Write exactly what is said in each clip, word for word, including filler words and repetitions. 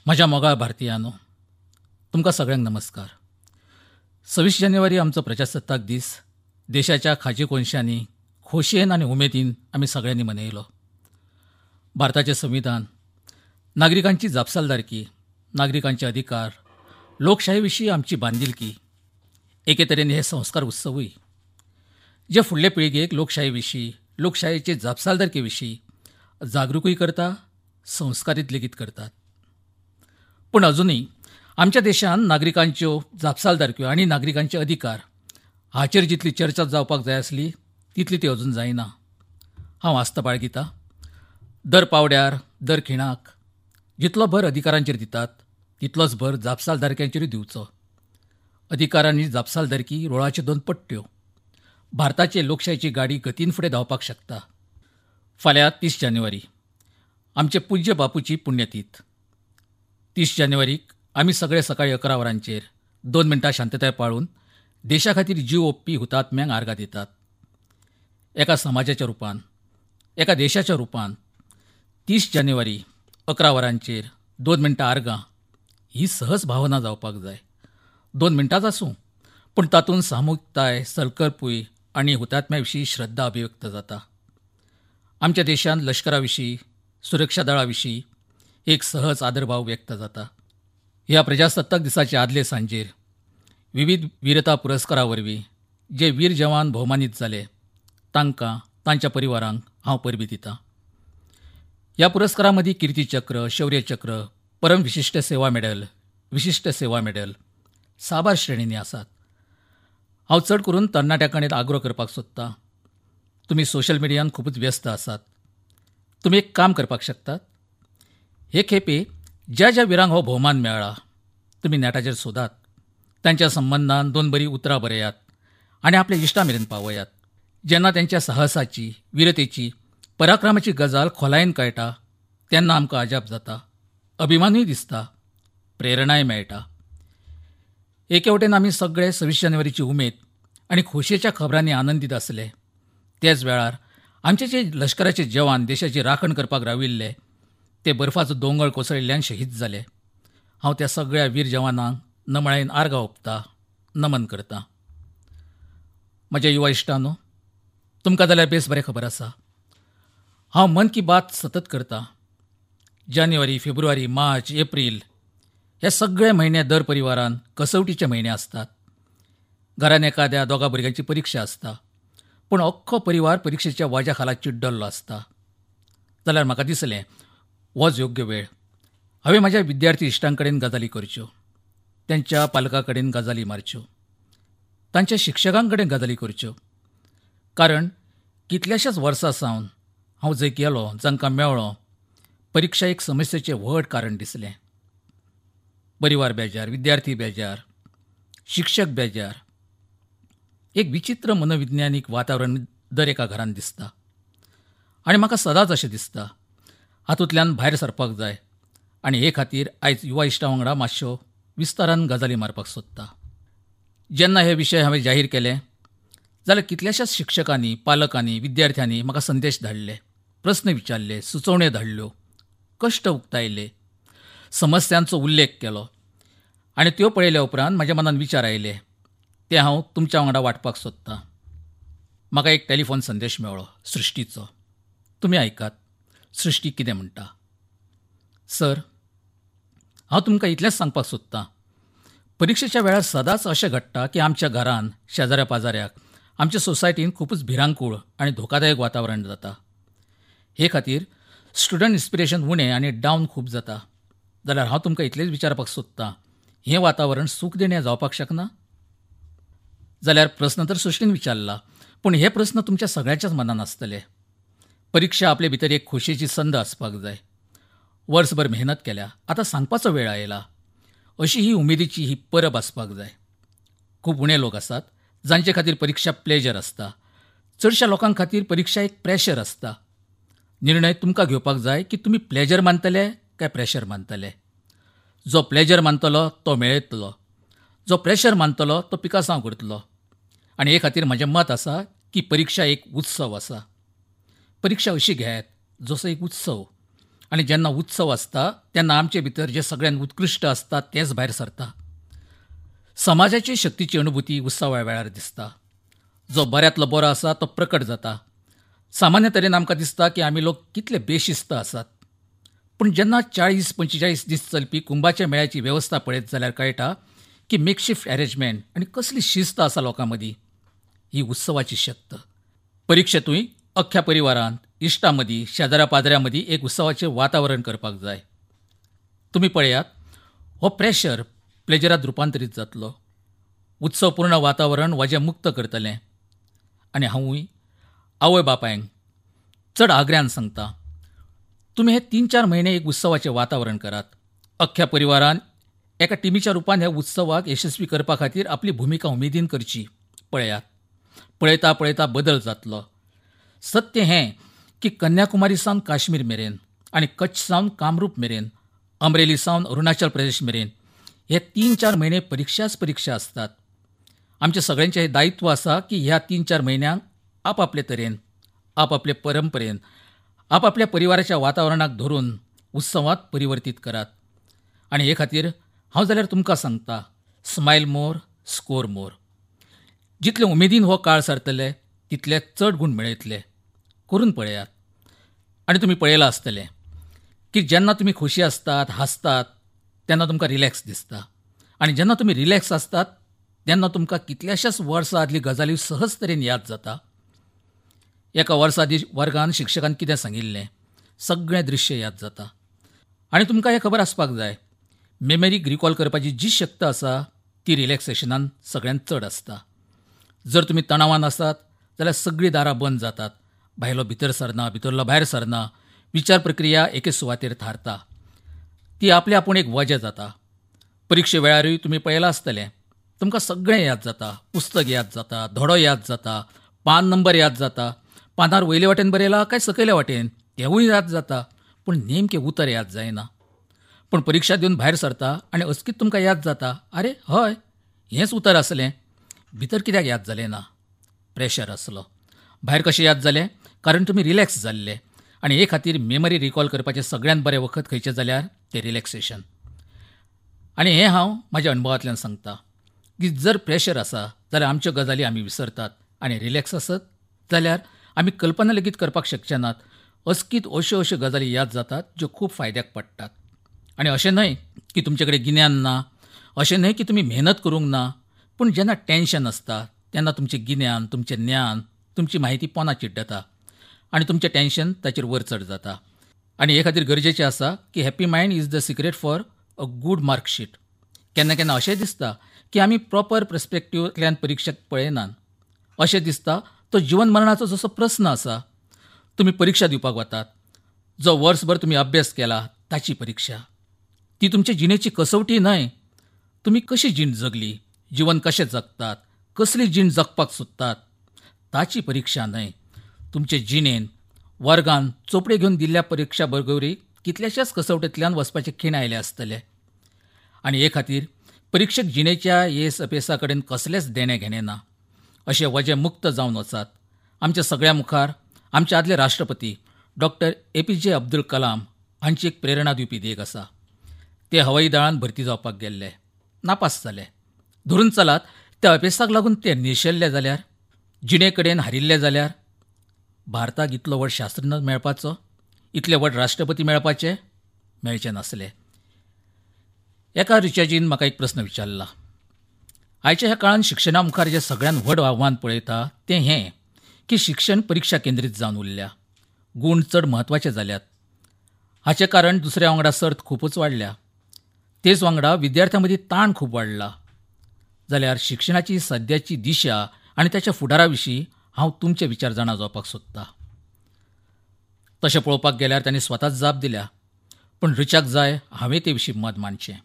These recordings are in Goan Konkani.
म्हज्या मोगाळ भारतीयांनो, तुमकां सगळ्यांक नमस्कार. सव्वीस जानेवारी आमचो प्रजासत्ताक दीस देशाच्या खाजी कोनशांनी खोशयेन आनी उमेदीन आमी सगळ्यांनी मनयलो. भारताचें संविधान, नागरिकांची जापसालदारकी, नागरिकांचे अधिकार, लोकशाही विशीं आमची बांदिलकी, एके तरेन हे संस्कार उत्सवूय जे फुडले पिळगेक लोकशाही विशीं, लोकशायेचे जापसालदारके विशीं जागृकूय करता, संस्कारीत लेगीत करतात. पूण अजुनूय आमच्या देशांत नागरिकांच्यो जापसालदारक्यो आनी नागरिकांचे अधिकार हाचेर जितली चर्चा जावपाक जाय आसली तितली ती अजून जायना. हांव आस्त बाळगिता, दर पावड्यार, दर खिणाक जितलो भर अधिकारांचेर दितात तितलोच भर जापसालदारक्यांचेरूय दिवचो. अधिकार आनी जापसालदारकी रोळाच्यो दोन पट्ट्यो. भारताचे लोकशायेची गाडी गतीन फुडें धांवपाक शकता. फाल्यां तीस जानेवारी आमचे पूज्य बापूची पुण्यतीथ. तीस जानेवारीक आमी सगळे सकाळी अकरा वरांचेर दोन मिनटां शांतताय पाळून देशा खातीर जीव ओंपपी हुतात्म्यांक आर्गां दितात. एका समाजाच्या रुपान, एका देशाच्या रुपान तीस जानेवारी अकरा वरांचेर दोन मिनटां आर्गां ही सहज भावना जावपाक जाय. दोन मिनटांच आसूं, पूण तातूंत सामुहीकताय, संकल्पूय आनी हुतात्म्या विशीं श्रद्धा अभिव्यक्त जाता. आमच्या देशांत लश्करा विशीं, सुरक्षा दळा विशीं एक सहज आदरभाव व्यक्त जाता. ह्या प्रजासत्ताक दिसाचे आदले सांजेर विविध वीरता पुरस्कारा वरवीं जे वीर जवान भोवमानीत जाले तांकां, तांच्या परिवारांक हांव परबीं दितां. ह्या पुरस्कारां मदीं कीर्तीचक्र, शौर्यचक्र, परम विशिश्ट सेवा मेडल, विशिश्ट सेवा मेडल साबार श्रेणींनी आसात. हांव चड करून तरणाट्यां कडेन आग्रो करपाक सोदतां, तुमी सोशल मिडियान खुबूच व्यस्त आसात. तुमी एक काम करपाक शकतात. हे खेपे ज्या ज्या विरांक हो भोवमान मेळ्ळा तुमी नेटाचेर सोदात, तांच्या संबंदान दोन बरीं उतरां बरयात आनी आपल्या इश्टां मेरेन पावयात. जेन्ना तांच्या साहसाची, विरतेची, पराक्रमाची गजाल खोलायेन कळटा तेन्ना आमकां अजाप जाता, अभिमानूय दिसता, प्रेरणाय मेळटा. एके वटेन आमी सगळे सव्वीस जानेवारीची उमेद आनी खोशयेच्या खबरांनी आनंदीत आसले, तेच वेळार आमचे जे लश्कराचे जवान देशाची राखण करपाक राविल्ले ते बर्फाचो दोंगर कोसळिल्ल्यान शहीद जाले. हांव त्या सगळ्या वीर जवानांक नमळायेन आर्गां ओंपता, नमन करता. म्हज्या युवा इश्टांनो, तुमकां जाल्यार बेस बरें खबर आसा, हांव मन की बात सतत करता. जानेवारी, फेब्रुवारी, मार्च, एप्रील हे सगळे म्हयने दर परिवारान कसवटीचे म्हयने आसतात. घरान एखाद्या दोगा भुरग्यांची परिक्षा आसता, पूण अख्खो परिवार परिक्षेच्या वाज्या खाला चिड्डल्लो आसता. जाल्यार म्हाका दिसलें होच योग्य वेळ हांवें म्हज्या विद्यार्थी इश्टां कडेन गजाली करच्यो, तांच्या पालकां कडेन गजाली मारच्यो, तांच्या शिक्षकां कडेन गजाली करच्यो. कारण कितल्याशाच वर्सां सावन हांव जंय गेलो, जांकां मेळ्ळो, परिक्षा एक समस्येचें व्हड कारण दिसलें. परिवार बेजार, विद्यार्थी बेजार, शिक्षक बेजार, एक विचित्र मनोविज्ञानीक वातावरण दर एका घरांत दिसता. आनी म्हाका सदांच अशें दिसता हातूंतल्यान भायर सरपाक जाय आनी हे खातीर आयज युवा इश्टां वांगडा मातश्यो विस्तारान गजाली मारपाक सोदता. जेन्ना हे विशय हांवें जाहीर केले जाल्यार कितल्याशाच शिक्षकांनी, पालकांनी, विद्यार्थ्यांनी म्हाका संदेश धाडले, प्रस्न विचारले, सुचोवण्यो धाडल्यो, कश्ट उक्तायले, समस्यांचो उल्लेख केलो आनी त्यो पळयल्या उपरांत म्हज्या मनान विचार आयले ते हांव तुमच्या वांगडा वांटपाक सोदतां. म्हाका एक टेलिफोन संदेश मेळ्ळो सृश्टीचो. तुमी आयकात सृश्टी कितें म्हणटा. सर, हांव तुमकां इतलेंच सांगपाक सोदतां, परिक्षेच्या वेळार सदांच अशें घडटा की आमच्या घरान, शेजाऱ्या पाजाऱ्याक, आमच्या सोसायटीन खुबूच भिरांकूळ आनी धोकादायक वातावरण जाता. हे खातीर स्टुडंट इन्स्पिरेशन उणें आनी डावन खूब जाता. जाल्यार हांव तुमकां इतलेंच विचारपाक सोदतां, हें वातावरण सूखदिणें जावपाक शकना? जाल्यार प्रस्न तर सृश्टीन विचारला, पूण हे प्रस्न तुमच्या सगळ्यांच्याच मनान आसतले. परिक्षा आपले भितर एक खोशयेची संद आसपाक जाय. वर्सभर मेहनत केल्या, आतां सांगपाचो वेळ आयला, अशी ही उमेदीची ही परब आसपाक जाय. खूब उणे लोक आसात जांचे खातीर परिक्षा प्लेजर आसता. चडश्या लोकां खातीर परिक्षा एक प्रेशर आसता. निर्णय तुमकां घेवपाक जाय की तुमी प्लेजर मानतले काय प्रेशर मानतले. जो प्लेजर मानतलो तो मेळयतलो, जो प्रेशर मानतलो तो पिकासांव करतलो. आनी हे खातीर म्हजें मत आसा की परिक्षा एक उत्सव आसा. परिक्षा अशी घेयात जसो एक उत्सव आनी जेन्ना उत्सव आसता तेन्ना आमचे भितर जे सगळ्यांत उत्कृश्ट आसता तेंच भायर सरता. समाजाची शक्तीची अनुभूती उत्सवा वेळार दिसता. जो बऱ्यांतलो बरो आसा तो प्रकट जाता. सामान्य तरेन आमकां दिसता की आमी लोक कितले बेशिस्त आसात, पूण जेन्ना चाळीस पंचेचाळीस दीस चलपी कुंभाच्या मेळ्याची वेवस्था पळयत जाल्यार कळटा की मेकशिफ्ट अरेंजमेंट आनी कसली शिस्त आसा लोकां मदीं. ही उत्सवाची शक्त. परिक्षेतूय अख्ख्या परिवारांत, इश्टां मदीं, शेजाऱ्या पाद्र्यां मदीं एक उत्सवाचें वातावरण करपाक जाय. तुमी पळयात, हो प्रेशर प्लेजरांत रुपांतरीत जातलो. उत्सवपूर्ण वातावरण वजें मुक्त करतलें. आनी हांवूय आवय बापायंक चड आग्र्यान सांगता, तुमी हे तीन चार म्हयने एक उत्सवाचें वातावरण करात. अख्ख्या परिवारान एका टिमीच्या रुपान ह्या उत्सवाक यशस्वी करपा खातीर आपली भुमिका उमेदीन करची. पळयात, पळयता पळयता बदल जातलो. सत्य हें की कन्याकुमारी सावन काश्मीर मेरेन आनी कच्छ सावन कामरूप मेरेन, अमरेली सावन अरुणाचल प्रदेश मेरेन हे तीन चार म्हयने परिक्षाच परिक्षा आसतात. आमच्या सगळ्यांचें हें दायित्व आसा की ह्या तीन चार म्हयन्यांक आपापले तरेन, आपापले परंपरेन, आपापल्या परिवाराच्या वातावरणाक धरून उत्सवांत परिवर्तीत करात. आनी हे खातीर हांव जाल्यार तुमकां सांगता, स्मायल मोर, स्कोर मोर. जितले उमेदीन हो काळ सारतले तितले चड गूण मेळयतले. करून पळयात. आनी तुमी पळयलां आसतलें की जेन्ना तुमी खोशी आसतात, हांसतात, तेन्ना तुमकां रिलॅक्स दिसता. आनी जेन्ना तुमी रिलॅक्स आसतात तेन्ना तुमकां कितल्याशाच वर्सां आदली गजाली सहज तरेन याद जाता. एका वर्सा आदीं वर्गान शिक्षकान कितें सांगिल्लें सगळें दृश्य याद जाता. आनी तुमकां हें खबर आसपाक जाय, मेमरीक रिकॉल करपाची जी शक्त आसा ती रिलॅक्सेशनान सगळ्यांत चड आसता. जर तुमी तणावान आसात जाल्यार सगळीं दारां बंद जातात. भायलो भितर सरना, भितरलो भायर सरना, विचार प्रक्रिया एके सुवातेर थारता. ती आपले आपूण एक वजें जाता. परिक्षे वेळारूय तुमी पळयलां आसतलें, तुमकां सगळें याद जाता. पुस्तक याद जाता, धडो याद जाता, पान नंबर याद जाता, पानार वयले वाटेन बरयला काय सकयले वाटेन तेवूय याद जाता, पूण नेमकें उतर याद जायना. पूण परिक्षा दिवन भायर सरता आनी अचकीत तुमकां याद जाता, आरे हय हेंच उतर आसलें, भितर कित्याक याद जालें ना? प्रेशर आसलो. भायर कशें याद जालें? कारण तुमी रिलॅक्स जाल्ले. आनी हे खातीर मेमरी रिकॉल करपाचें सगळ्यांत बरें वखद खंयचें जाल्यार तें रिलॅक्सेशन. आनी हें हांव म्हाज्या अणभवांतल्यान सांगता की जर प्रेशर आसा जाल्यार आमच्यो गजाली आमी विसरतात, आनी रिलॅक्स आसत जाल्यार आमी कल्पना लेगीत करपाक शकचे नात. अचकीत अश्यो अश्यो गजाली याद जातात ज्यो खूब फायद्याक पडटात. आनी अशें न्हय की तुमचे कडेन गिन्यान ना, अशें न्हय की तुमी मेहनत करूंक ना, पूण जेन्ना टेन्शन आसता तेन्ना तुमचें गिन्यान, तुमचें ज्ञान, तुमची म्हायती पोना चिड्डता आनी तुमचें टेन्शन ताचेर वर चड जाता. आनी हे खातीर गरजेचें आसा की happy mind is the secret for a good marksheet. केन्ना केन्ना अशें दिसता की आमी प्रॉपर पर्सपेक्टिव्हांतल्यान परिक्षेक पळयनात. अशें दिसता तो जिवन मरणाचो जसो प्रस्न आसा. तुमी परिक्षा दिवपाक वतात, जो वर्सभर तुमी अभ्यास केला ताची परिक्षा. ती तुमचे जिणेची कसवटी न्हय. तुमी कशी जीण जगली, जीवन कशें जगतात, कसली जीण जगपाक सोदतात ताची परिक्षा न्हय. तुमचे जिणेन वर्गान चोपडे घेवन दिल्ल्या परिक्षा बरोबरी कितल्याशाच कसवटेंतल्यान वचपाचे खीण आयले आसतले. आनी हे खातीर परिक्षेक जिणेच्या येस अपेसा कडेन कसलेंच देणें घेणें ना. अशें वजें मुक्त जावन वचात. आमच्या सगळ्या मुखार आमचे आदले राष्ट्रपती doctor A P J Abdul Kalam हांची एक प्रेरणा दिवपी देख आसा. ते हवाई दळान भरती जावपाक गेल्ले, नापास जाले. धरून चलात त्या अपेसाक लागून ते निर्शेल्ले जाल्यार, जिणे कडेन हारिल्ले जाल्यार भारताक इतलो व्हड शास्त्रज्ञ मेळपाचो, इतले व्हड राष्ट्रपती मेळपाचे मेळचे नासले. एका रिचार्जीन म्हाका एक प्रस्न विचारला, आयच्या ह्या काळांत शिक्षणा मुखार जें सगळ्यांत व्हड आव्हान पळयता तें हें की शिक्षण परिक्षा केंद्रीत जावन उरल्या, गूण चड म्हत्वाचे जाल्यात. हाचें कारण दुसऱ्या वांगडा सर्त खुबूच वाडल्या, तेच वांगडा विद्यार्थ्यां मदीं ताण खूब वाडला. जाल्यार शिक्षणाची सद्याची दिशा आनी ताच्या फुडारा विशीं हांव तुमचे विचार जाणा जावपाक सोदता. तशें पळोवपाक गेल्यार तांणी स्वताच जाप दिल्या, पूण ऋचाक जाय हांवें ते विशीं मत मांडचें.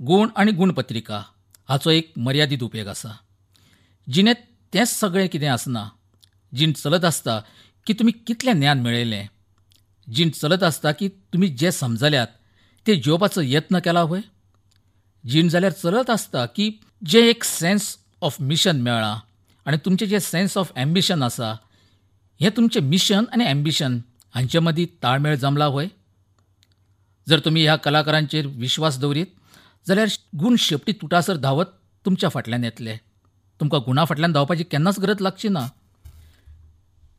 गूण आनी गुणपत्रिका हाचो एक मर्यादीत उपेग आसा. जिणेंत तेंच सगळें कितें आसना. जीण चलत आसता की तुमी कितलें ज्ञान मेळयलें, जीण चलत आसता की तुमी जें समजल्यात तें जिवपाचो यत्न केला व्हय. जीण जाल्यार चलत आसता की जें एक सेन्स ऑफ मिशन मेळ्ळां आनी तुमचें जें सेन्स ऑफ एम्बिशन आसा, हें तुमचें मिशन आनी एम्बिशन हांचे मदीं ताळमेळ जमला व्हय. जर तुमी ह्या कलाकारांचेर विश्वास दवरीत जाल्यार गूण शेपटी तुटासर धांवत तुमच्या फाटल्यान येतले. तुमकां गुणा फाटल्यान धांवपाची केन्नाच गरज लागची ना.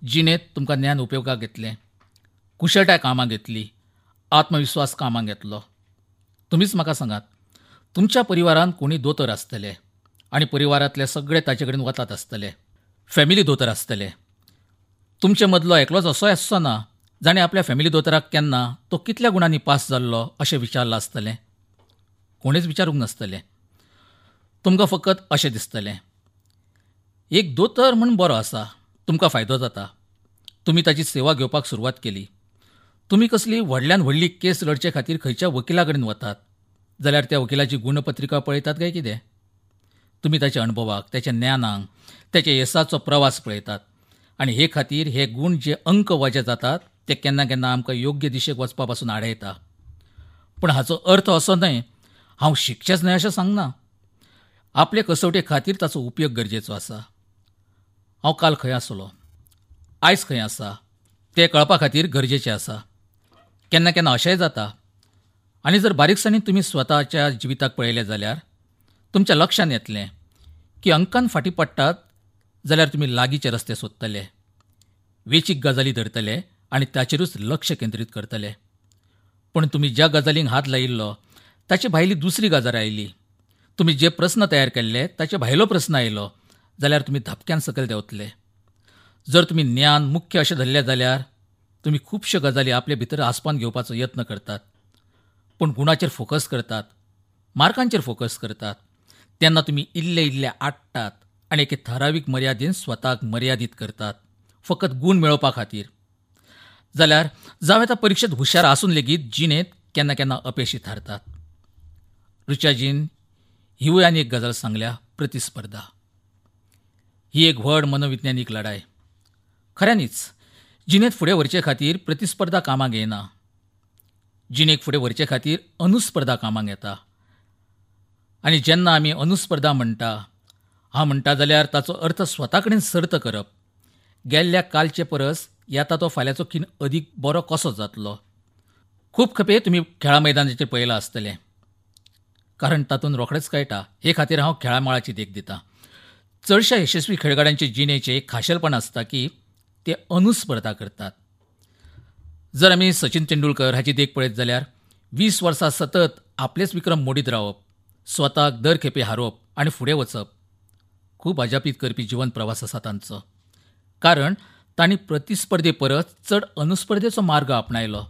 जिणेंत तुमकां ज्ञान उपयोगाक येतलें, कुशळटाय कामाक येतली, आत्मविस्वास कामाक येतलो. तुमीच म्हाका सांगात, तुमच्या परिवारांत कोणी दोतोर आसतले आनी परिवारांतले सगळे ताचे कडेन वतात आसतले, फॅमिली दोतोर आसतले. तुमचे मदलो एकलोच असोय आसचो ना जाणें आपल्या फॅमिली दोतोराक केन्ना तो कितल्या गुणांनी पास जाल्लो अशें विचारलां आसतलें. कोणेच विचारूंक नासतलें. तुमकां फकत अशें दिसतलें, एक दोतोर म्हूण बरो आसा, तुमकां फायदो जाता. तुमी ताची सेवा घेवपाक सुरवात केली. तुमी कसली व्हडल्यान व्हडली केस लढचे खातीर खंयच्या वकिला कडेन वतात जाल्यार त्या वकिलाची गुणपत्रिका पळयतात काय कितें? तुमी ताच्या अणभवाक, ताच्या ज्ञानाक, ताच्या येसाचो प्रवास पळयतात आनी हे खातीर हे गूण जे अंक वजे जातात ते केन्ना केन्ना आमकां योग्य दिशेक वचपा पासून आडयता. पूण हाचो अर्थ असो न्हय हांव शिकचेंच न्हय अशें सांगना. आपले कसवटे खातीर ताचो उपयोग गरजेचो आसा. हांव काल खंय आसलो, आयज खंय आसा तें कळपा खातीर गरजेचें आसा. केन्ना केन्ना अशेंय जाता. आनी जर बारीकसाणीन तुमी स्वताच्या जिविताक पळयलें जाल्यार तुमच्या लक्षांत येतलें की अंकान फाटीं पडटात जाल्यार तुमी लागींचे रस्ते सोदतले, वेचीक गजाली धरतले आनी ताचेरूच लक्ष केंद्रीत करतले. पूण तुमी ज्या गजालींक हात लायिल्लो ताचे भायली दुसरी गजाल आयली, तुमी जे प्रस्न तयार केल्ले ताचे भायलो प्रस्न आयलो जाल्यार तुमी धपक्यान सकयल देंवतले. जर तुमी ज्ञान मुख्य अशें धरलें जाल्यार तुमी खुबश्यो गजाली आपले भितर आसपावन घेवपाचो यत्न करतात, पूण गुणाचेर फोकस करतात, मार्कांचेर फोकस करतात तेन्ना तुमी इल्ले इल्ले आट्टात आनी एके थारावीक मर्यादेन स्वताक मर्यादीत करतात फकत गूण मेळोवपा खातीर. जाल्यार जावं येता परिक्षेत हुशार आसून लेगीत जिणेंत केन्ना केन्ना अपेशी थारतात. ऋचाजीन हिवूय आनी एक गजाल सांगल्या, प्रतिस्पर्धा ही एक व्हड मनोविज्ञानीक लढाय. खऱ्यांनीच जिणेंत फुडें व्हरचे खातीर प्रतिस्पर्धा कामाक येना, जिणेक फुडें व्हरचे खातीर अनुस्पर्धा कामाक येता. आनी जेन्ना आमी अनुस्पर्धा म्हणटा, हांव म्हणटा जाल्यार ताचो अर्थ स्वता कडेन सर्त करप. गेल्ल्या कालचे परस येता तो फाल्यांचो खीण अदीक बरो कसो जातलो. खूब खेपे तुमी खेळा मैदानाचेर पळयलां आसतलें, कारण तातूंत रोखडेंच कळटा. हे खातीर हांव खेळा मळाची देख दितां. चडश्या यशस्वी खेळगड्यांचे जिणेचें एक खाशेलपण आसता की ते अनुस्पर्धा करतात. जर आमी सचिन तेंडुलकर हाची देख पळयत जाल्यार वीस वर्सां सतत आपलेच विक्रम मोडीत रावप, स्वताक दर खेपे हारोवप आनी फुडें वचप, खूब अजापीत करपी जिवन प्रवास आसा तांचो. कारण तांणी प्रतिस्पर्धे परस चड अनुस्पर्धेचो मार्ग आपणायलो.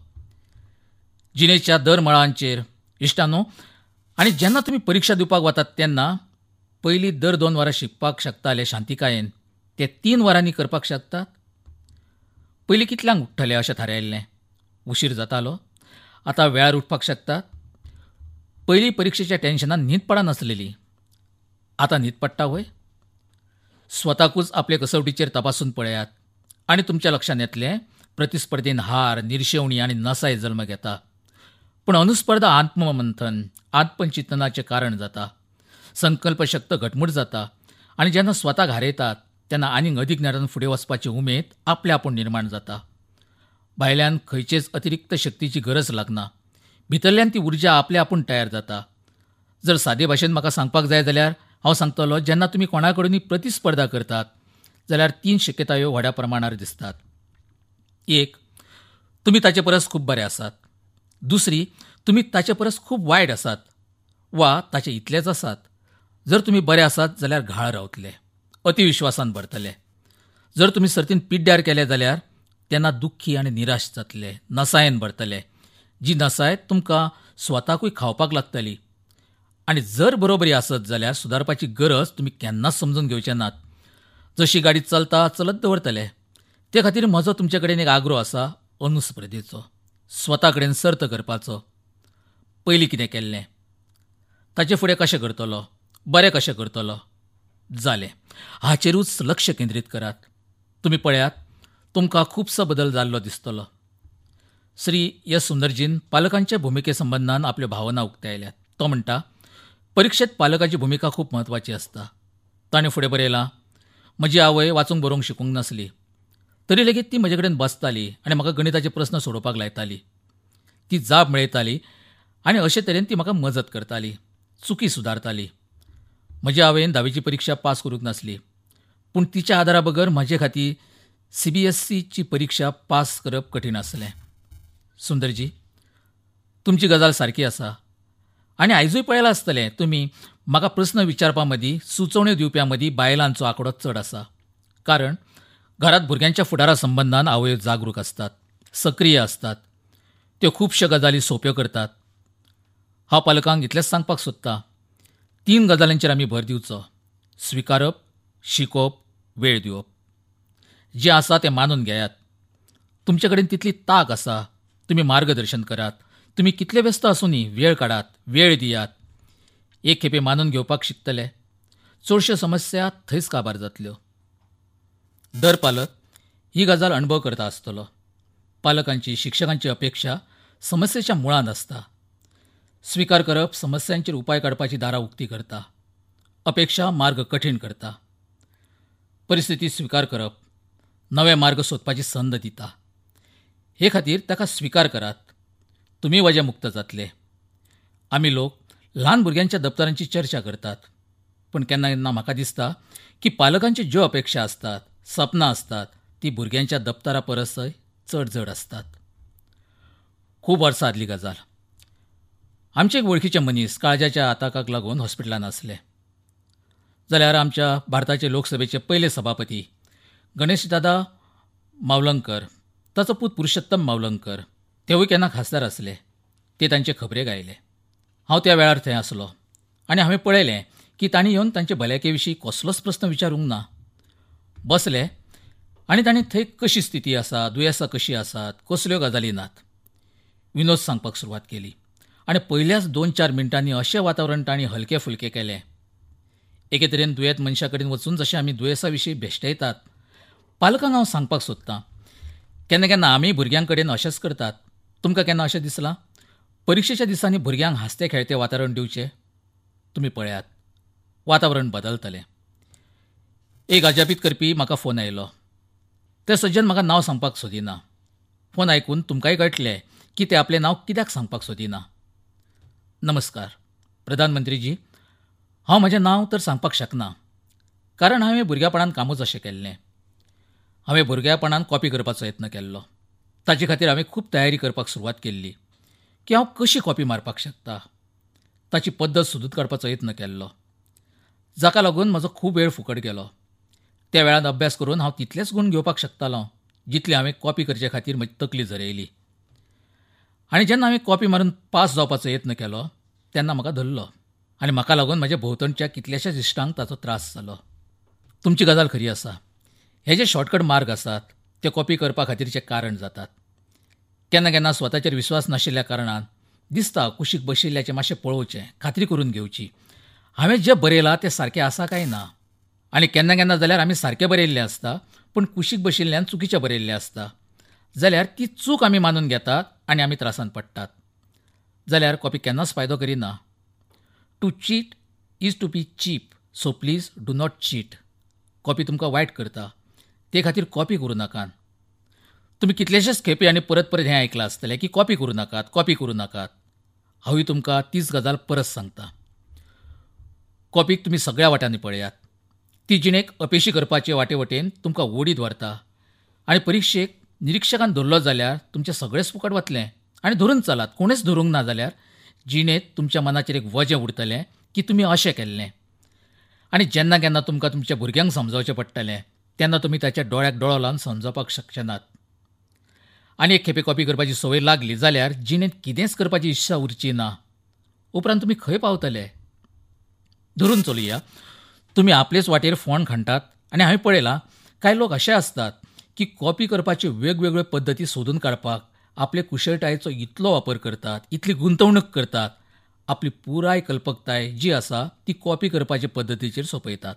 जिणेच्या दर मळांचेर इश्टांनो, आनी जेन्ना तुमी परिक्षा दिवपाक वतात तेन्ना पयलीं दर दोन वरां शिकपाक शकताले शांतिकायेन, ते तीन वरांनी करपाक शकतात. पयलीं कितल्यांक उठ्ठले अशें थारायल्लें, उशीर जातालो, आतां वेळार उठपाक शकतात. पयलीं परिक्षेच्या टेन्शनान न्हीद पडनासलेली, आतां न्हीद पडटा व्हय? स्वताकूच आपले कसवटीचेर तपासून पळयात आनी तुमच्या लक्षांत येतलें प्रतिस्पर्धेन हार, निर्शेवणी आनी नसाय जल्म घेता. पूण अनुस्पर्धा आत्ममंथन, आत्मचिंतनाचें कारण जाता. संकल्पशक्त घटमूट जाता आनी जेन्ना स्वताक हारयतात तेन्ना आनीक अदीक नेटान फुडें वचपाची उमेद आपले आपूण निर्माण जाता. भायल्यान खंयचेच अतिरिक्त शक्तीची गरज लागना, भितरल्यान ती उर्जा आपले आपूण तयार जाता. जर सादे भाशेन म्हाका सांगपाक जाय जाल्यार हांव सांगतलो, जेन्ना तुमी कोणा कडेनूय प्रतिस्पर्धा करतात जाल्यार तीन शक्यतायो व्हडा प्रमाणार दिसतात. एक, तुमी ताचे परस खूब बरे आसात. दुसरी, तुमी ताचे परस खूब वायट आसात वा ताचे इतलेच आसात. जर तुमी बरे आसात जाल्यार घाळ रावतले, अतिविश्वासान भरतले. जर तुमी सर्तीन पिड्ड्यार केले जाल्यार तेन्ना दुख्खी आनी निराश जातले, नसायेन भरतले, जी नसाय तुमकां स्वताकूय खावपाक लागतली. आनी जर बरोबरी आसत जाल्यार सुदारपाची गरज तुमी केन्नाच समजून घेवचे नात. जशी गाडी चलता चलत दवरतले. ते खातीर म्हजो तुमचे कडेन एक आग्रो आसा, अनुस्पर्धेचो, स्वता कडेन सर्त करपाचो. पयलीं कितें केल्लें, ताचे फुडें कशें करतलो, बरें कशें करतलो, जालें, हाचेरूच लक्ष केंद्रीत करात. तुमी पळयात, तुमकां खुबसो बदल जाल्लो दिसतलो. श्री एस सुंदरजीन पालकांच्या भुमिके संबंदान आपल्यो भावना उक्तायल्यात. तो म्हणटा, परिक्षेत पालकाची भुमिका खूब म्हत्वाची आसता. ताणें फुडें बरयलां, म्हजी आवय वाचूंक बरोवंक शिकूंक नासली तरी लेगीत ती म्हजे कडेन बसताली आनी म्हाका गणिताचे प्रस्न सोडोवपाक लायताली. ती जाप मेळयताली आनी अशे तरेन ती म्हाका मजत करताली, चुकी सुदारताली. म्हज्या आवयन धावेची परिक्षा पास करूंक नासली, पूण तिच्या आदारा बगर म्हजे खातीर सी बी एस सीची परिक्षा पास करप कठीण आसलें. सुंदरजी, तुमची गजाल सारकी आसा आनी आयजूय पळयलां आसतलें तुमी, म्हाका प्रस्न विचारपा मदीं, सुचोवण्यो दिवप्यां मदीं बायलांचो आंकडो चड आसा. कारण घरांत भुरग्यांच्या फुडारा संबंदान आवयो जागरूक आसतात, सक्रीय आसतात, त्यो खुबश्यो गजाली सोंप्यो करतात. हांव पालकांक इतलेंच सांगपाक सोदतां, तीन गजालींचेर आमी भर दिवचो: स्विकारप, शिकोवप, वेळ दिवप. जें आसा तें मानून घेयात. तुमचे कडेन तितली तांक आसा, तुमी मार्गदर्शन करात. तुमी कितले व्यस्त आसूनय वेळ काडात, वेळ दियात. एक खेपे मानून घेवपाक शिकतले, चडश्यो समस्या थंयच काबार जातल्यो. दर पालक ही गजाल अणभव करता आसतलो. पालकांची, शिक्षकांची अपेक्षा समस्येच्या मुळांत आसता. स्विकार करप समस्यांचेर उपाय काडपाची दारां उक्ती करता. अपेक्षा मार्ग कठीण करता. परिस्थिती स्विकार करप नवे मार्ग सोदपाची संद दिता. हे खातीर ताका स्विकार करात, तुमी वजें मुक्त जातले. आमी लोक ल्हान भुरग्यांच्या दप्तरांची चर्चा करतात, पूण केन्ना केन्ना म्हाका दिसता की पालकांच्यो ज्यो अपेक्षा आसतात, सपनां आसतात, ती भुरग्यांच्या दप्तरा परसय चड जड आसतात. खूब वर्सां आदली गजाल. आमचे एक वळखीचे मनीस काळजाच्या आताकाक लागून हॉस्पिटलांत आसले. जाल्यार आमच्या भारताचे लोकसभेचे पयले सभापती गणेशदादा मावलंकर, ताचो पूत पुरुषोत्तम मावलंकर, तेवूय केन्ना खासदार आसले. ते तांचे खबरेक आयले. हांव त्या वेळार थंय आसलो आनी हांवें पळयलें की तांणी येवन तांचे भलायके विशीं कसलोच प्रस्न विचारूंक ना. बसले आनी तांणी थंय कशी स्थिती आसा, दुयेंसां कशीं आसात, कसल्यो गजाली नात, विनोद सांगपाक सुरवात केली. आनी पयल्याच दोन चार मिनटांनी अशें वातावरण तांणी हलकें फुलकें केलें. एके तरेन दुयेंत मनशा कडेन वचून जशें आमी दुयेंसा विशीं भेश्टयतात, पालकांक हांव सांगपाक सोदतां, केन्ना केन्ना आमी भुरग्यां कडेन अशेंच करतात. तुमकां केन्ना अशें दिसलां परिक्षेच्या दिसांनी भुरग्यांक हांसतें खेळतें वातावरण दिवचें? तुमी पळयात, वातावरण बदलतलें. एक अजापीत करपी म्हाका फोन आयलो. ते सज्जन म्हाका नांव सांगपाक सोदिना. फोन आयकून तुमकांय कळटलें की ते आपलें नांव कित्याक सांगपाक सोदिना. नमस्कार प्रधानमंत्रीजी, हांव म्हजें नांव तर सांगपाक शकना, कारण हांवें भुरग्यापणान कामूच अशें केल्लें. हांवें भुरग्यापणान कॉपी करपाचो यत्न केल्लो. ताचे खातीर हांवें खूब तयारी करपाक सुरवात केल्ली की हांव कशी कॉपी मारपाक शकता, ताची पद्दत सोदून काडपाचो यत्न केल्लो, जाका लागून म्हजो खूब वेळ फुकट गेलो. त्या वेळान अभ्यास करून हांव तितलेच गूण घेवपाक शकतालों जितले हांवें कॉपी करचे खातीर म्हजी तकली झरयली. आनी जेन्ना हांवें कॉपी मारून पास जावपाचो यत्न केलो तेन्ना म्हाका धरलो आनी म्हाका लागून म्हज्या भोंवतणच्या कितल्याशाच इश्टांक ताचो त्रास जालो. तुमची गजाल खरी आसा. हे जे शॉर्टकट मार्ग आसात ते कॉपी करपा खातीरचें कारण जातात. केन्ना केन्ना स्वताचेर विस्वास नाशिल्ल्या कारणान दिसता कुशीक बशिल्ल्याचें मातशें पळोवचें, खात्री करून घेवची, हांवें जें बरयलां तें सारकें आसा काय ना. आनी केन्ना केन्ना जाल्यार आमी सारकें बरयिल्लें आसता पूण कुशीक बशिल्ल्यान चुकीचें बरयिल्लें आसता, जाल्यार ती चूक आमी मानून घेतात आनी आमी त्रासांत पडटात. जाल्यार कॉपी केन्नाच फायदो करिना. To cheat is to be cheap, so please do not cheat. Copy तुमकां वायट करता, ते खातीर कॉपी करूं नाकात. तुमी कितलेशेच खेपे आनी परत परत हें आयकलां आसतलें की कॉपी करूं नाकात, कॉपी करूं नाकात. हांवूय तुमकां तीच गजाल परत सांगता. कॉपीक तुमी सगळ्या वाटांनी पळयात. ती जिणेक अपेशी करपाचे वाटे वटेन तुमकां ओडीत व्हरता आनी परिक्षेक निरिक्षकान धरलो जाल्यार तुमचें सगळेंच फुकट वतलें. आनी धरून चलात, कोणेच धरूंक ना जाल्यार जिणेंत तुमच्या मनाचेर एक वजें उरतलें की तुमी अशें केल्लें. आनी जेन्ना केन्ना तुमकां तुमच्या भुरग्यांक समजावचें पडटलें तेन्ना तुमी ताच्या दोळ्याक दोळो लावन समजावपाक शकचे नात. आनी एक खेपे कॉपी करपाची संवय लागली जाल्यार जिणेंत कितेंच करपाची इत्सा उरची ना. उपरांत तुमी खंय पावतले? धरून चलया, तुमी आपलेच वाटेर फोंड खणटात. आनी हांवें पळयलां कांय लोक अशे आसतात की कॉपी करपाच्यो वेगवेगळ्यो पद्दती सोदून काडपाक आपले कुशळटायेचो इतलो वापर करतात, इतली गुंतवणूक करतात, आपली पुराय कल्पकताय जी आसा ती कॉपी करपाचे पद्दतीचेर सोंपयतात.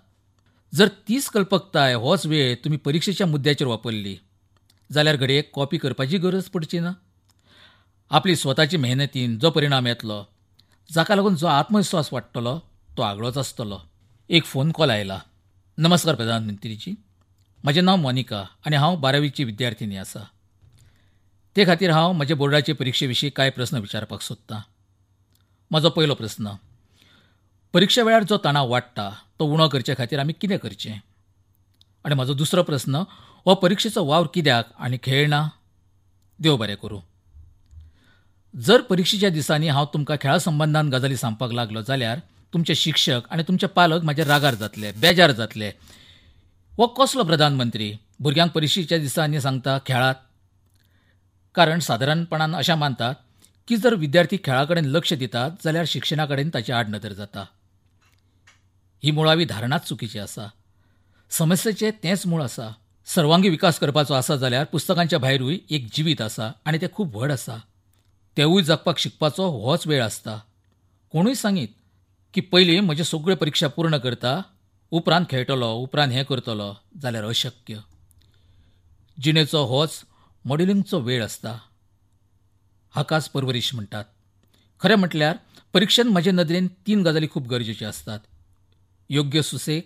जर तीच कल्पकताय होच वेळ तुमी परिक्षेच्या मुद्द्याचेर वापरली जाल्यार घडये कॉपी करपाची गरज पडची ना. आपली स्वताची मेहनतीन जो परिणाम येतलो, जाका लागून जो आत्मविस्वास वाडटलो तो आगळोच आसतलो. एक फोन कॉल आयला. नमस्कार प्रधानमंत्रीजी, म्हजें नांव मोनिका आनी हांव बारावीची विद्यार्थिनी आसा. ते खातीर हांव म्हजे बोर्डाचे परिक्षे विशीं कांय प्रस्न विचारपाक सोदतां. म्हजो पयलो प्रस्न, परिक्षे वेळार जो तणाव वाडटा तो उणो करचे खातीर आमी कितें करचें? आनी म्हजो दुसरो प्रस्न, हो परिक्षेचो वावर कित्याक आनी खेळ ना? देव बरें करूं. जर परिक्षेच्या दिसांनी हांव तुमकां खेळा संबंदान गजाली सांगपाक लागलो जाल्यार तुमचे शिक्षक आनी तुमचे पालक म्हजे रागार जातले, बेजार जातले. हो कसलो प्रधानमंत्री भुरग्यांक परिक्षेच्या दिसांनी सांगता खेळात? कारण सादारणपणान अशें मानतात की जर विद्यार्थी खेळा कडेन लक्ष दितात जाल्यार शिक्षणा कडेन ताची आडनदर जाता. ही मुळावी धारणाच चुकीची आसा. समस्येचें तेंच मूळ आसा. सर्वांगी विकास करपाचो आसा जाल्यार पुस्तकांच्या भायरूय एक जिवीत आसा आनी तें खूब व्हड आसा. तेवूय जगपाक शिकपाचो होच वेळ आसता. कोणूय सांगीत की पयलीं म्हज्यो सगळ्यो परिक्षा पूर्ण करता, उपरांत खेळटलो, उपरांत हें करतलो, जाल्यार अशक्य. जिणेचो होच मॉडेलिंगचो वेळ आसता. हाकाच परवरीश म्हणटात. खरें म्हटल्यार परिक्षेंत म्हजे नदरेन तीन गजाली खूब गरजेच्यो आसतात. योग्य सुसेग,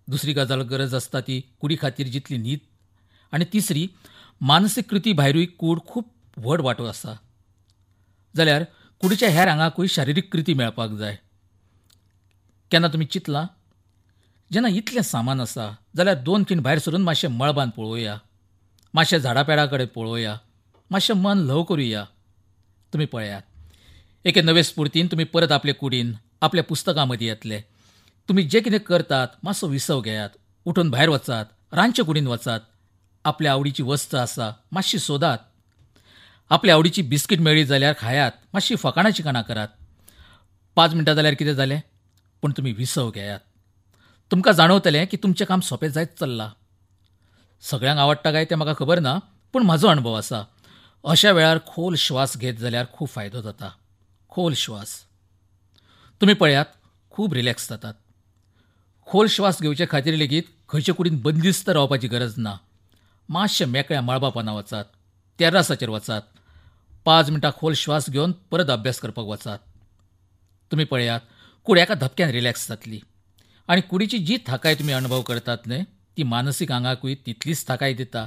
दुसरी गजाल गरज आसता ती कुडी खातीर जितली न्हीद, आनी तिसरी मानसीक कृती भायरूय कूड खूब व्हड वांटो आसा. जाल्यार कुडीच्या हेर आंगाकूय शारिरीक कृती मेळपाक जाय. केन्ना तुमी चिंतलां, जेन्ना इतलें सामान आसा जाल्यार दोन खीण भायर सरून मातशें मळबान पळोवया, मातशें झाडां पेडां कडेन पळोवया, मातशें मन ल्हव करुया. तुमी पळयात, एके नवे स्फुर्तीन तुमी परत आपले कुडीन, आपल्या पुस्तकां मदीं येतले. तुमी जें कितें करतात मातसो विसव घेयात, उठून भायर वचात, रांदचे कुडीन वचात, आपल्या आवडीची वस्त आसा मातशी सोदात, आपल्या आवडीची बिस्कीट मेळ्ळी जाल्यार खायात, मातशी फकाणां चिकाणां करात. पांच मिनटां जाल्यार कितें जालें, पूण तुमी विसव घेयात. तुमकां जाणवतलें की तुमचें काम सोंपें जायत चल्लां. सगळ्यांक आवडटा काय तें म्हाका खबर ना, पूण म्हजो अणभव आसा, अशा वेळार खोल श्वास घेत जाल्यार खूब फायदो जाता. खोल श्वास, तुमी पळयात, खूब रिलॅक्स जातात. खोल श्वास घेवचे खातीर लेगीत खंयचे कुडीन बंदिस्त रावपाची गरज ना. मातशें मेकळ्या मळबा पोंदा वचात, तेर्रासाचेर वचात, पांच मिनटां खोल श्वास घेवन परत अभ्यास करपाक वचात. तुमी पळयात, कूड एका धपक्यान रिलॅक्स जातली आनी कुडीची जी थाकाय तुमी अणभव करतात न्हय, ती मानसीक आंगाकूय तितलीच थाकाय दिता.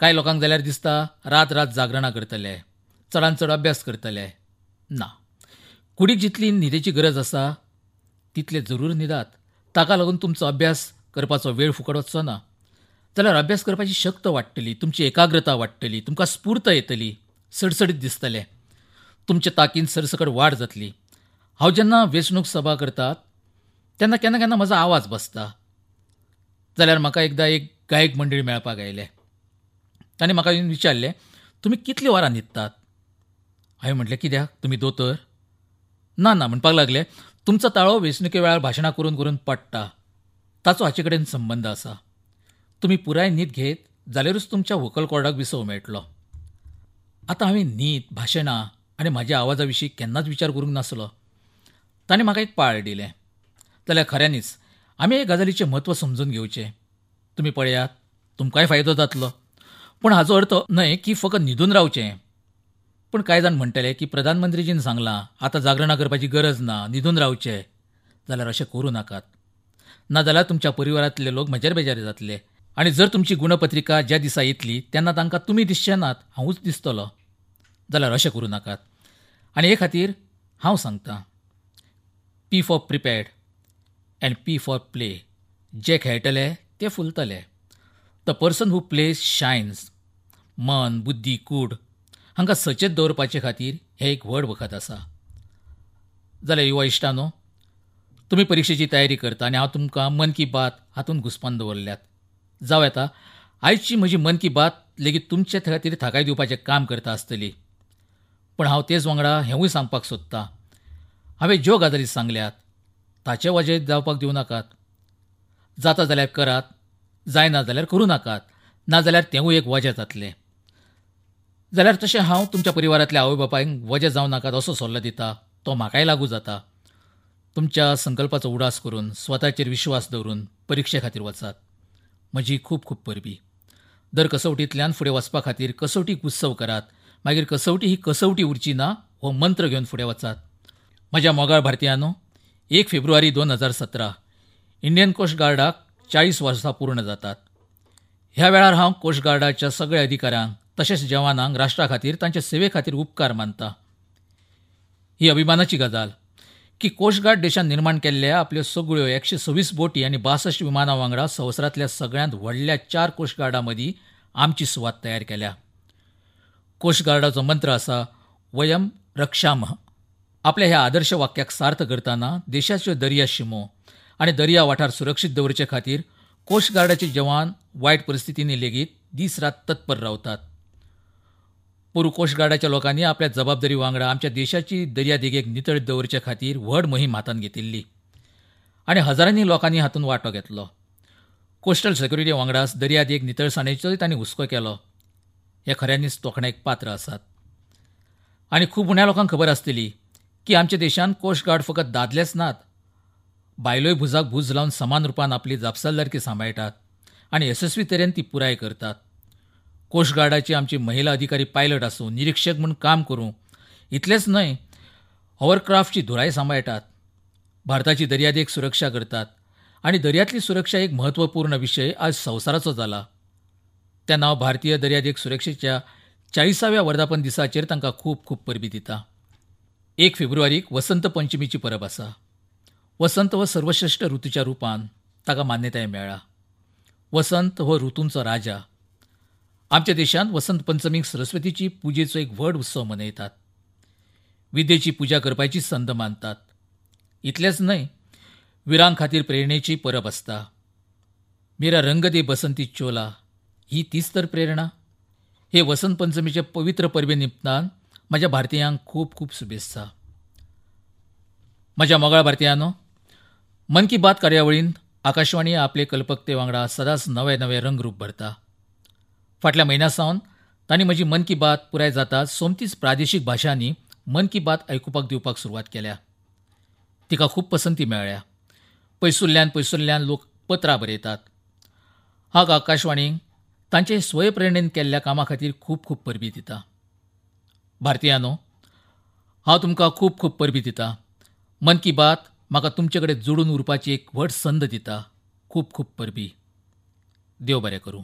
कांय लोकांक जाल्यार दिसता रात रात जागरणां करतले, चडान चड अभ्यास करतले. ना, कुडीक जितली न्हिदेची गरज आसा तितले जरूर न्हिदात. ताका लागून तुमचो अभ्यास करपाचो वेळ फुकट वचचो ना. जाल्यार अभ्यास करपाची शक्त वाडटली, तुमची एकाग्रता वाडटली, तुमकां स्फूर्त येतली, सडसडीत दिसतलें, तुमचे ताकीन सरसकट वाड जातली. हांव जेन्ना वेंचणूक सभा करतात तेन्ना केन्ना केन्ना म्हजो आवाज बसता. जाल्यार म्हाका एकदां एक गायक मंडळी मेळपाक आयले. तांणी म्हाका येवन विचारलें, तुमी कितलीं वरां न्हिदतात? हांवें म्हटलें, कित्याक, तुमी दोतोर? ना ना, म्हणपाक लागले, तुमचो ताळो वेंचणुके वेळार भाशणां करून करून पडटा, ताचो हाचे कडेन संबंद आसा. तुमी पुराय न्हीद घेत जाल्यारूच तुमच्या व्होकल कॉर्डाक विसव मेळटलो. आतां हांवें न्हीद, भाशणां आनी म्हज्या आवाजा विशीं केन्नाच विचार करूंक नासलो. ताणें म्हाका एक पाळ दिलें. जाल्यार खऱ्यांनीच आमी हे गजालीचें म्हत्व समजून घेवचें. तुमी पळयात, तुमकांय फायदो जातलो. पूण हाचो अर्थ न्हय की फकत न्हिदून रावचें. पूण कांय जाण म्हणटले की प्रधानमंत्रीजीन सांगलां आतां जागरणां करपाची गरज ना, न्हिदून रावचें. जाल्यार अशें करूं नाकात, ना जाल्यार तुमच्या परिवारांतले लोक म्हजेर बेजार जातले. आनी जर तुमची गुणपत्रिका ज्या दिसा येतली तेन्ना तांकां तुमी दिसचे नात, हांवूच दिसतलो. जाल्यार अशें करूं नाकात. आनी हे खातीर हांव सांगतां, P for prepared and P for play. जे खेळटले ते फुलतले. The person who plays shines. मन, बुद्धी, कूड हांकां सचेत दवरपाचे खातीर हें एक व्हड वखद आसा. जाल्यार युवा इश्टानो, तुमी परिक्षेची तयारी करता आनी हांव तुमकां मन की बात हातूंत घुस्पान दवरल्यात. जावं येता आयची म्हजी मन की बात लेगीत तुमचे खातीर थाकाय दिवपाचें काम करता आसतली. पूण हांव तेच वांगडा हेंवूय सांगपाक सोदतां, हांवें ज्यो गजाली सांगल्यात ताचे वजें जावपाक दिवं नाकात. जाता जाल्यार करात, जायना जाल्यार करूं नाकात, नाजाल्यार तेंवूय एक वजें जातलें. जाल्यार तशें हांव तुमच्या परिवारांतल्या आवय बापायक वजें जावं नाकात असो सल्लो दिता, तो म्हाकाय लागू जाता. तुमच्या संकल्पाचो उडास करून, स्वताचेर विश्वास दवरून परिक्षे खातीर वचात. म्हजी खूब खूब परबी. दर कसवटींतल्यान फुडें वचपा खातीर कसवटीक उत्सव करात. मागीर कसवटी ही कसवटी उरची ना हो मंत्र घेवन फुडें वचात. म्हज्या मोगाळ भारतीयांनो, एक फेब्रुवारी दोन हजार सतरा इंडियन कोस्ट गार्डाक चाळीस वर्सां पूर्ण जातात. ह्या वेळार हांव कोस्ट गार्डाच्या सगळ्या अधिकाऱ्यांक तशेंच जवानांक राष्ट्रा खातीर तांचे सेवे खातीर उपकार मानता. ही अभिमानाची गजाल की कोस्टगार्ड देशान निर्माण केल्ल्या आपल्यो सगळ्यो एकशे सव्वीस बोटी आनी बासश्ट विमानां वांगडा संवसारांतल्या सगळ्यांत व्हडल्या चार कोस्टगार्डां मदीं आमची सुवात तयार केल्या. कोस्टगार्डाचो मंत्र आसा वयम रक्षामः. आपल्या ह्या आदर्श वाक्याक सार्थ करतना देशाच्यो दर्या शिमो आनी दर्या वाठार सुरक्षीत दवरचे खातीर कोस्टगार्डाचे जवान वायट परिस्थितींनी लेगीत दीस रात तत्पर रावतात. पोरूं कोस्टगार्डाच्या लोकांनी आपल्या जबाबदारी वांगडा आमच्या देशाची दर्यादेगेक नितळ दवरचे खातीर व्हड मोहीम हातांत घेतिल्ली आनी हजारांनी लोकांनी हातूंत वांटो घेतलो. कोस्टल सेक्युरिटी वांगडाच दर्यादेग नितळसाणेचोय तांणी हुस्को केलो. हे खऱ्यांनीच तोखणायेक पात्र आसात. आनी खूब उण्या लोकांक खबर आसतली की आमच्या देशांत कोस्टगार्ड फकत दादलेच नात, बायलोय भुजाक भूज लावन समान रुपान आपली जापसालदारकी सांबाळटात आनी येसस्वी तरेन ती पुराय करतात. कोस्टगार्डाची आमची महिला अधिकारी पायलट आसूं, निरिक्षक म्हूण काम करूं, इतलेंच न्हय होवरक्राफ्टची धुराय सांबाळटात, भारताची दर्यादेग सुरक्षा करतात आनी दर्यांतली सुरक्षा एक म्हत्वपूर्ण विशय आज संवसाराचो जाला. तेन्ना हांव भारतीय दर्यादेग सुरक्षेच्या चाळिसाव्या वर्धापन दिसाचेर तांकां खूब खूब परबीं दिता. एक फेब्रुवारीक वसंत पंचमीची परब आसा. वसंत हो सर्वश्रेश्ठ ऋतूच्या रुपान ताका मान्यताय मेळ्ळा. वसंत हो ऋतूंचो राजा. आमच्या देशांत वसंत पंचमीक सरस्वतीची पुजेचो एक व्हड उत्सव मनयतात. विद्येची पुजा करपाची संद मानतात. इतलेंच न्हय, विरां खातीर प्रेरणेची परब आसता. मेरा रंग दे बसंती चोला ही तीच तर प्रेरणा. हे वसंत पंचमीचे पवित्र परबे निमतान म्हज्या भारतीयांक खूब खूब शुभेत्सा. म्हज्या मोगाळ भारतीयांनो, मन की बात कार्यावळींत आकाशवाणी आपले कल्पकते वांगडा सदांच नवे नवे रंगरूप भरता. फाटल्या म्हयन्या सावन तांणी म्हजी मन की बात पुराय जाता सोमतीच प्रादेशीक भाशांनी मन की बात आयकुपाक दिवपाक सुरवात केल्या. तिका खूब पसंती मेळ्ळ्या. पयसुल्ल्यान पयसुल्ल्यान लोक पत्रां बरयतात. हांव आकाशवाणीक तांचे स्वयंप्रेरणेन केल्ल्या कामा खातीर खूब खूब परबीं दिता. भारतीयांनो, हांव तुमकां खूब खूब परबीं दिता. मन की बात म्हाका तुमचे कडेन जोडून उरपाची एक व्हड संद दिता. खूब खूब परबीं. देव बरें करूं.